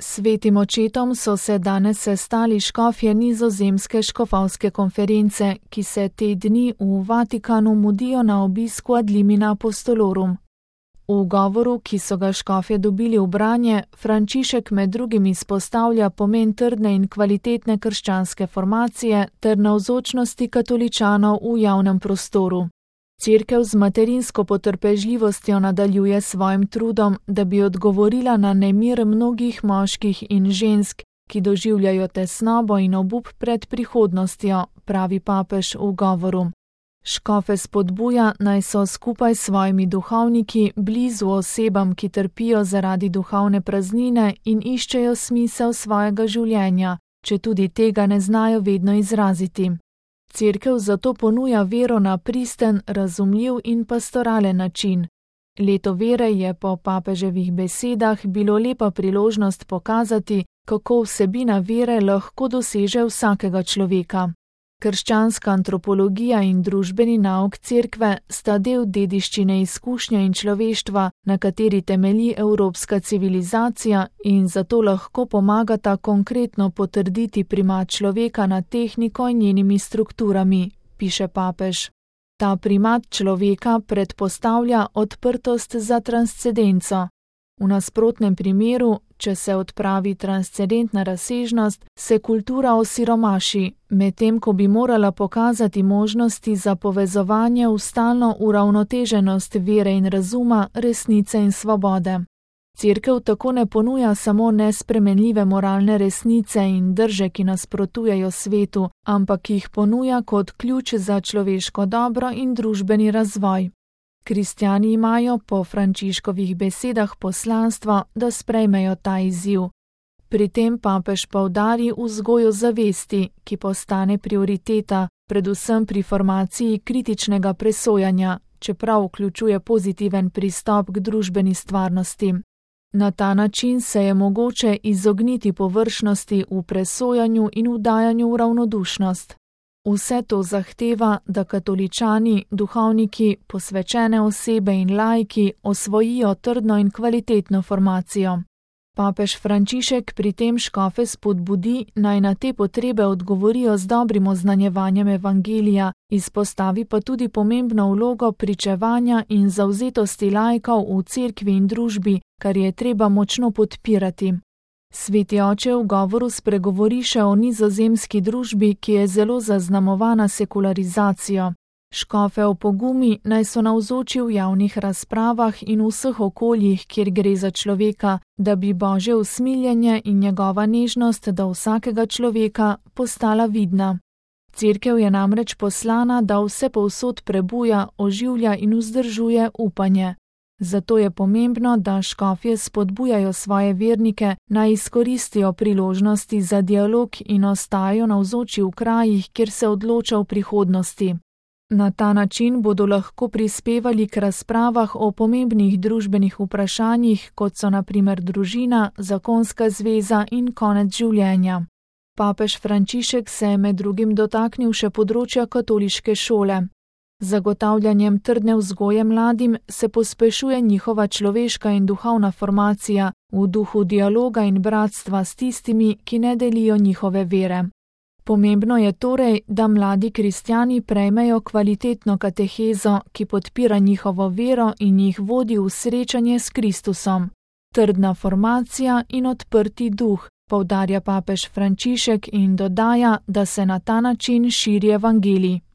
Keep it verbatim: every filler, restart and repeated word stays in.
Svetim očetom so se danes sestali škofje Nizozemske škofovske konference, ki se te dni v Vatikanu mudijo na obisku ad limina apostolorum. V govoru, ki so ga škofje dobili v branje, Frančišek med drugim izpostavlja pomen trdne in kvalitetne krščanske formacije ter navzočnosti katoličanov v javnem prostoru. Cerkev z materinsko potrpežljivostjo nadaljuje svojim trudom, da bi odgovorila na nemir mnogih moških in žensk, ki doživljajo tesnobo in obup pred prihodnostjo, pravi papež v govoru. Škofe spodbuja, naj so skupaj s svojimi duhovniki blizu osebam, ki trpijo zaradi duhovne praznine in iščejo smisel svojega življenja, če tudi tega ne znajo vedno izraziti. Cerkev zato ponuja vero na pristen, razumljiv in pastoralen način. Leto vere je po papeževih besedah bilo lepa priložnost pokazati, kako vsebina vere lahko doseže vsakega človeka. Krščanska antropologija in družbeni nauk cerkve sta del dediščine izkušnje in človeštva, na kateri temelji evropska civilizacija in zato lahko pomagata konkretno potrditi primat človeka nad tehniko in njenimi strukturami, piše papež. Ta primat človeka predpostavlja odprtost za transcendenco. V nasprotnem primeru, če se odpravi transcendentna razsežnost, se kultura osiromaši, medtem ko bi morala pokazati možnosti za povezovanje v stalno uravnoteženost vere in razuma, resnice in svobode. Cerkev tako ne ponuja samo nespremenljive moralne resnice in drže, ki nasprotujejo svetu, ampak jih ponuja kot ključ za človeško dobro in družbeni razvoj. Kristjani imajo po Frančiškovih besedah poslanstvo, da sprejmejo ta izziv. Pri tem papež poudari vzgojo zavesti, ki postane prioriteta, predvsem pri formaciji kritičnega presojanja, čeprav vključuje pozitiven pristop k družbeni stvarnosti. Na ta način se je mogoče izogniti površnosti v presojanju in vdajanju v ravnodušnost. Vse to zahteva, da katoličani, duhovniki, posvečene osebe in laiki osvojijo trdno in kvalitetno formacijo. Papež Frančišek pri tem škofe spodbudi, naj na te potrebe odgovorijo z dobrim oznanjevanjem evangelija, izpostavi pa tudi pomembno vlogo pričevanja in zavzetosti laikov v cerkvi in družbi, kar je treba močno podpirati. Sveti oče v govoru spregovori še o nizozemski družbi, ki je zelo zaznamovana sekularizacijo. Škofe opogumi, naj so navzoči v javnih razpravah in v vseh okoljih, kjer gre za človeka, da bi Božje usmiljenje in njegova nežnost do vsakega človeka postala vidna. Cerkev je namreč poslana, da vse povsod prebuja, oživlja in vzdržuje upanje. Zato je pomembno, da škofje spodbujajo svoje vernike, naj izkoristijo priložnosti za dialog in ostajajo navzoči v krajih, kjer se odloča v prihodnosti. Na ta način bodo lahko prispevali k razpravah o pomembnih družbenih vprašanjih, kot so na primer družina, zakonska zveza in konec življenja. Papež Frančišek se je med drugim dotaknil še področja katoliške šole. Zagotavljanjem trdne vzgoje mladim se pospešuje njihova človeška in duhovna formacija v duhu dialoga in bratstva s tistimi, ki ne delijo njihove vere. Pomembno je torej, da mladi kristjani prejmejo kvalitetno katehezo, ki podpira njihovo vero in jih vodi v srečanje s Kristusom. Trdna formacija in odprti duh, poudarja papež Frančišek in dodaja, da se na ta način širi evangelij.